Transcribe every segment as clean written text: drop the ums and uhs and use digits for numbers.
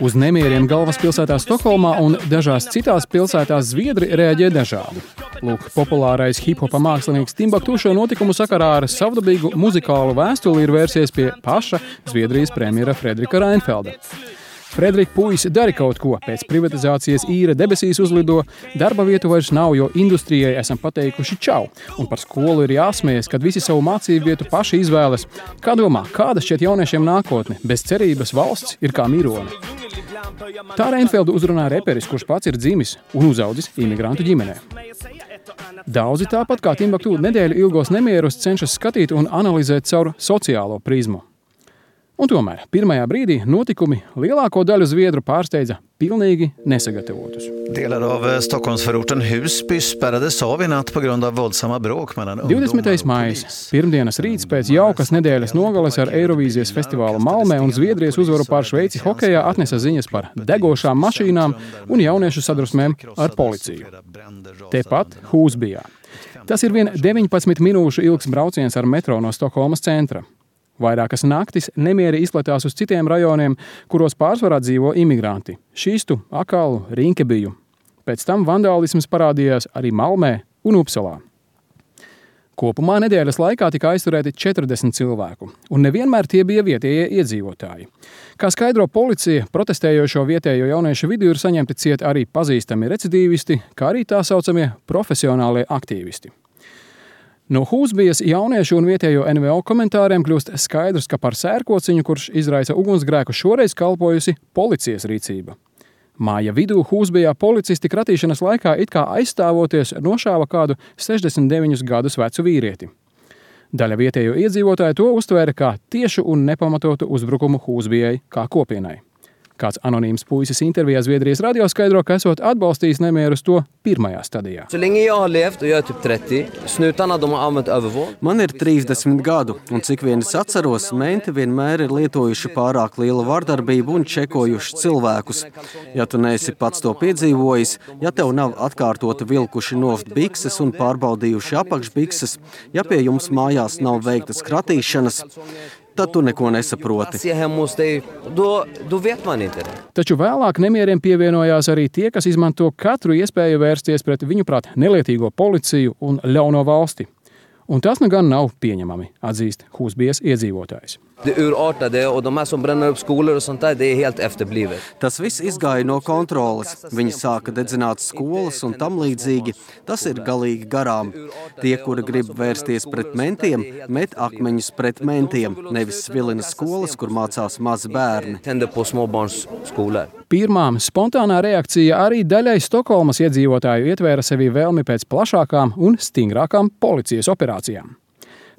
Uz nemieriem galvaspilsētā Stokholmā un dažās citās pilsētās zviedri reaģē dažādi. Lūk, populārais hip-hopa mākslinieks Timbuktu šo notikumu sakarā ar savdabīgu muzikālu vēstuli ir vērsies pie paša Zviedrijas premjera Fredrika Reinfelda. Fredrik, puisi, dari kaut ko, pēc privatizācijas īra debesīs uzlido, darba vietu vairs nav, jo industrijai esam pateikuši čau. Un par skolu ir jāsmējas, kad visi savu mācību vietu paši izvēlas. Kā domā, kāda šķiet jauniešiem nākotne? Bez cerības valsts ir kā mirone. Tā Reinfeldu uzrunā reperis, kurš pats ir dzimis un uzaudzis imigrantu ģimenē. Daudzi tāpat kā Timbuktu nedēļu ilgos nemierus cenšas skatīt un analizēt caur sociālo prizmu. Un tomēr pirmajā brīdī notikumi lielāko daļu zviedru pārsteidza pilnīgi nesagatavotus. Delar av Stockholmsförorten Husby spärrades av i natt på grund av våldsamma bråk mellan ungdomar. 20. maijs, pirmdienas rīts pēc jaukas nedēļas nogales ar Eirovīzijas festivālu Malmē un Zviedrijas uzvaru pār Šveici hokejā atnesa ziņas par degošām mašīnām un jauniešu sadrusmēm ar policiju. Tepat Husbyjā. Tas ir vien 19 minūšu ilgs brauciens ar metro no Stokholmas centra. Vairākas naktis nemieri izplatās uz citiem rajoniem, kuros pārsvarā dzīvo imigranti – Šistu, Akalu, Rinkebiju. Pēc tam vandālisms parādījās arī Malmē un Upsalā. Kopumā nedēļas laikā tika aizturēti 40 cilvēku, un nevienmēr tie bija vietējie iedzīvotāji. Kā skaidro policija, protestējošo vietējo jauniešu vidū ir saņemti ciet arī pazīstami recidīvisti, kā arī tā saucamie profesionālie aktīvisti. No Husbyjas jauniešu un vietējo NVO komentāriem kļūst skaidrs, ka par sērkociņu, kurš izraisa ugunsgrēku, šoreiz kalpojusi policijas rīcība. Māja vidū Husbyjā policisti kratīšanas laikā it kā aizstāvoties nošāva kādu 69 gadus vecu vīrieti. Daļa vietējo iedzīvotāju to uztvēra kā tiešu un nepamatotu uzbrukumu Husbyjai kā kopienai. Kāds anonīms puisis intervijā Zviedrijas radio skaidro, ka esot atbalstījis nemierus to pirmajā stadijā. Man ir 30 gadu, un cik vien es atceros, menti vienmēr ir lietojuši pārāk lielu vardarbību un čekojuši cilvēkus. Ja tu neesi pats to piedzīvojis, ja tev nav atkārtoti vilkuši nost bikses un pārbaudījuši apakšbikses, ja pie jums mājās nav veiktas kratīšanas, tad tu neko nesaproti. Taču vēlāk nemieriem pievienojās arī tie, kas izmanto katru iespēju vērsties pret viņuprāt nelietīgo policiju un ļauno valsti. Un tas nu gan nav pieņemami, atzīst Husbyjas iedzīvotājs. Tas viss izgāja no kontroles. Viņi sāka dedzināt skolas un tam līdzīgi. Tas ir galīgi garām. Tie, kuri grib vērsties pret mentiem, met akmeņus pret mentiem, nevis svilina skolas, kur mācās mazi bērni. Pirmām spontānā reakcija arī daļai Stokholmas iedzīvotāju ietvēra sevi vēlmi pēc plašākām un stingrākām policijas operācijām.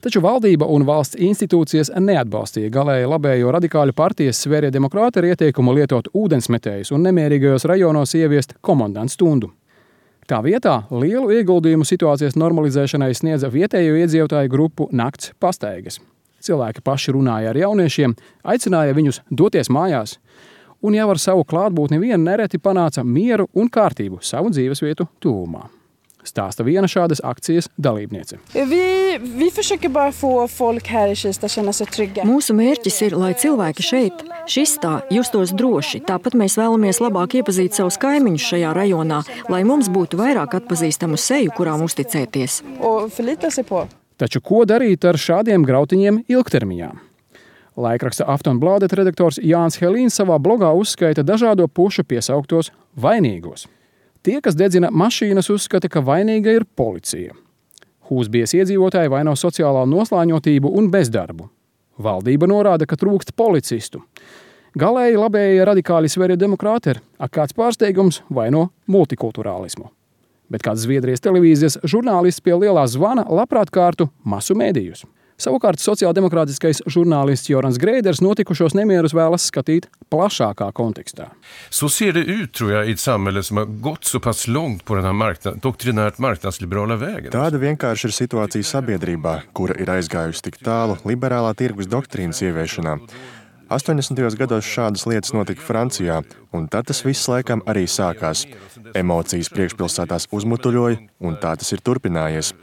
Taču valdība un valsts institūcijas neatbalstīja galēji labējo radikāļu partijas Sverige Demokrater ar ieteikumu lietot ūdensmetējus un nemierīgajos rajonos ieviest komandantu stundu. Tā vietā lielu ieguldījumu situācijas normalizēšanai sniedza vietējo iedzīvotāju grupu Nakts pastaigas. Cilvēki paši runāja ar jauniešiem, aicināja viņus doties mājās, un jau ar savu klātbūtni vien nereti panāca mieru un kārtību savu dzīvesvietu tuvumā. Stāsta viena šādas akcijas dalībniece. Mūsu mērķis ir, lai cilvēki šeit, Šistā, justos droši. Tāpat mēs vēlamies labāk iepazīt savus kaimiņus šajā rajonā, lai mums būtu vairāk atpazīstamu seju, kurām uzticēties. Taču ko darīt ar šādiem grautiņiem ilgtermiņā? Laikraksta Aftonbladet redaktors Jānis Helīns savā blogā uzskaita dažādo pušu piesauktos vainīgos. Tie, kas dedzina mašīnas, uzskata, ka vainīga ir policija. Husbyjas iedzīvotāji vaino sociālā noslāņotību un bezdarbu. Valdība norāda, ka trūkst policistu. Galēji labējie radikāļi Sverige Demokrater, kāds pārsteigums, vaino multikulturālismu. Bet kāds Zviedrijas televīzijas žurnālists pie lielā zvana labprāt kārtu masu mēdījus. Savukārt sociāldemokrātiskais žurnālists Jorans Greiders notikušos nemierus vēlas skatīt plašākā kontekstā. Så ser det ut, tror jag, i ett samhälle som har gått så pass långt på den här doktrinärt marknadsliberala vägen. Tāda vienkārši ir situācija sabiedrībā, kura ir aizgājusi tik tālu liberālā tirgus doktrīnas ieviešanā. 80. gados šādas lietas notika Francijā, un tad tas viss laikam arī sākās. Emocijas priekšpilsētās uzmutuļoja, un tā tas ir turpinājies.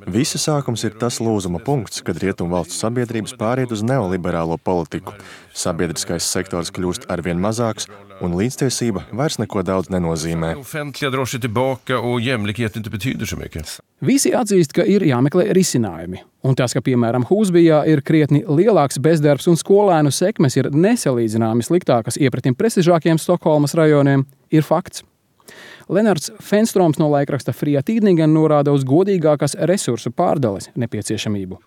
Visa sākums ir tas lūzuma punkts, kad rietumvalstu sabiedrības pāriet uz neoliberālo politiku. Sabiedriskais sektors kļūst arvien mazāks, un līdztiesība vairs neko daudz nenozīmē. Visi atzīst, ka ir jāmeklē risinājumi. Un tas, ka, piemēram, Hūsbijā ir krietni lielāks bezdarbs un skolēnu sekmes ir nesalīdzināmi sliktākas iepratim prestižākiem Stokholmas rajoniem, ir fakts. Lenards Fenstroms no laikraksta Fria Tidningen norāda uz godīgākas resursu pārdales nepieciešamību.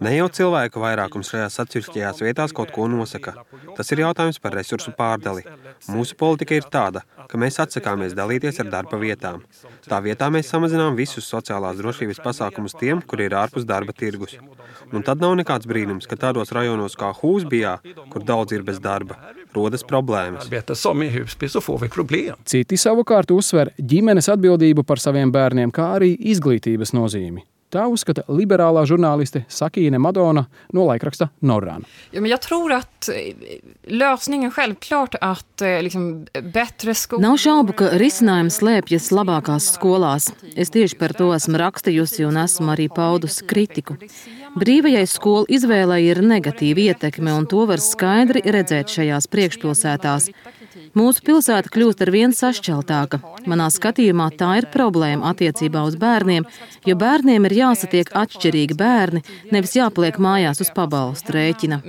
Ne jau cilvēku vairākums šajās atsevišķajās vietās kaut ko nosaka. Tas ir jautājums par resursu pārdali. Mūsu politika ir tāda, ka mēs atsakāmies dalīties ar darba vietām. Tā vietā mēs samazinām visus sociālās drošības pasākumus tiem, kuri ir ārpus darba tirgus. Un tad nav nekāds brīnums, ka tādos rajonos kā Hūsbijā, kur daudz ir bez darba, rodas problēmas. Citi savukārt uzsver ģimenes atbildību par saviem bērniem, kā arī izglītības nozīmi. Tā uzskata liberālā žurnāliste Sakine Madona no laikraksta Norran. Nav šaubu, ka risinājums slēpjas labākās skolās. Es tieši par to esmu rakstījusi un esmu arī paudusi kritiku. Brīvajai skolu izvēlei ir negatīva ietekme, un to var skaidri redzēt šajās priekšpilsētās. Mūsu pilsēta kļūst ar vien sašķeltāka. Manā skatījumā tā ir problēma attiecībā uz bērniem, jo bērniem ir jāsatiek atšķirīgi bērni, nevis jāpaliek mājās uz pabalstu rēķina.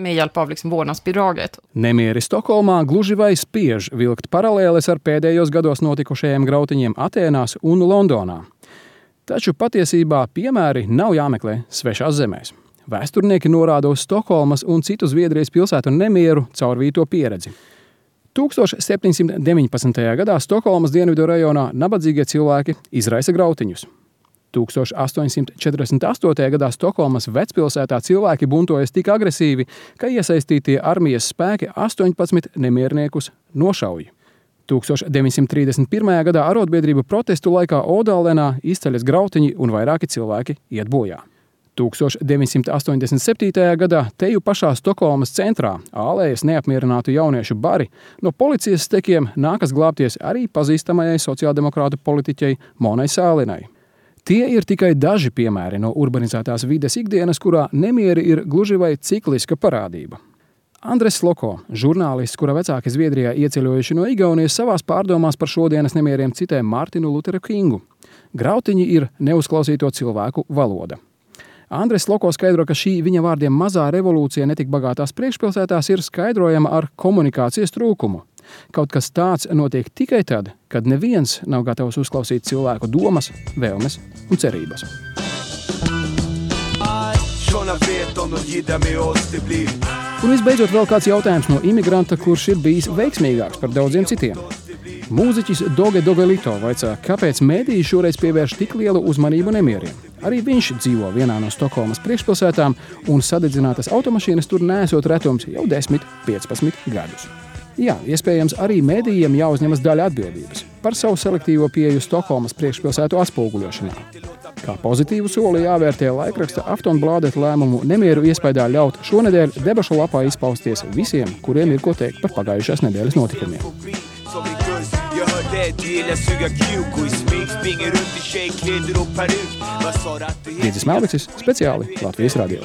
Nemieri Stokholmā gluži vai spiež vilkt paralēles ar pēdējos gados notikušajiem grautiņiem Atēnās un Londonā. Taču patiesībā piemēri nav jāmeklē svešās zemēs. Vēsturnieki norāda uz Stokholmas un citu Zviedrijas pilsētu nemieru caurvīto pieredzi. 1719. gadā Stokholmas dienvidu rajonā nabadzīgie cilvēki izraisa grautiņus. 1848. gadā Stokholmas vecpilsētā cilvēki buntojas tik agresīvi, ka iesaistītie armijas spēki 18 nemierniekus nošauja. 1931. gadā arotbiedrību protestu laikā Odālenā izceļas grautiņi un vairāki cilvēki iet bojā. 1987. gadā teju pašā Stokholmas centrā ālējas neapmierinātu jauniešu bari no policijas stekiem nākas glābties arī pazīstamajai sociāldemokrātu politiķei Monai Sālinai. Tie ir tikai daži piemēri no urbanizētās vides ikdienas, kurā nemieri ir gluži vai cikliska parādība. Andres Loko, žurnālists, kura vecāki Zviedrijā ieceļojuši no Igaunijas, savās pārdomās par šodienas nemieriem citē Mārtinu Luteru Kingu. Grautiņi ir neuzklausīto cilvēku valoda. Andres Loko skaidro, ka šī viņa vārdiem mazā revolūcija netik bagātās priekšpilsētās ir skaidrojama ar komunikācijas trūkumu. Kaut kas tāds notiek tikai tad, kad neviens nav gatavs uzklausīt cilvēku domas, vēlmes un cerības. Un visbeidzot vēl kāds jautājums no imigranta, kurš ir bijis veiksmīgāks par daudziem citiem. Mūziķis Doge Dogelito vaicā, kāpēc mēdīji šoreiz pievērš tik lielu uzmanību nemieriem. Arī viņš dzīvo vienā no Stokholmas priekšpilsētām, un sadedzinātas automašīnas tur neesot retums jau 10-15 gadus. Jā, iespējams, arī mēdījiem jāuzņemas daļa atbildības par savu selektīvo pieeju Stokholmas priekšpilsētu atspoguļošanā. Kā pozitīvu soli jāvērtē laikraksta Aftonbladet lēmumu nemieru iespējā ļaut šonedēļ debašu lapā izpausties visiem, kuriem ir ko teikt par pagājušās nedēļas notikumiem. Dīdzis Melviksis, speciāli Latvijas radio.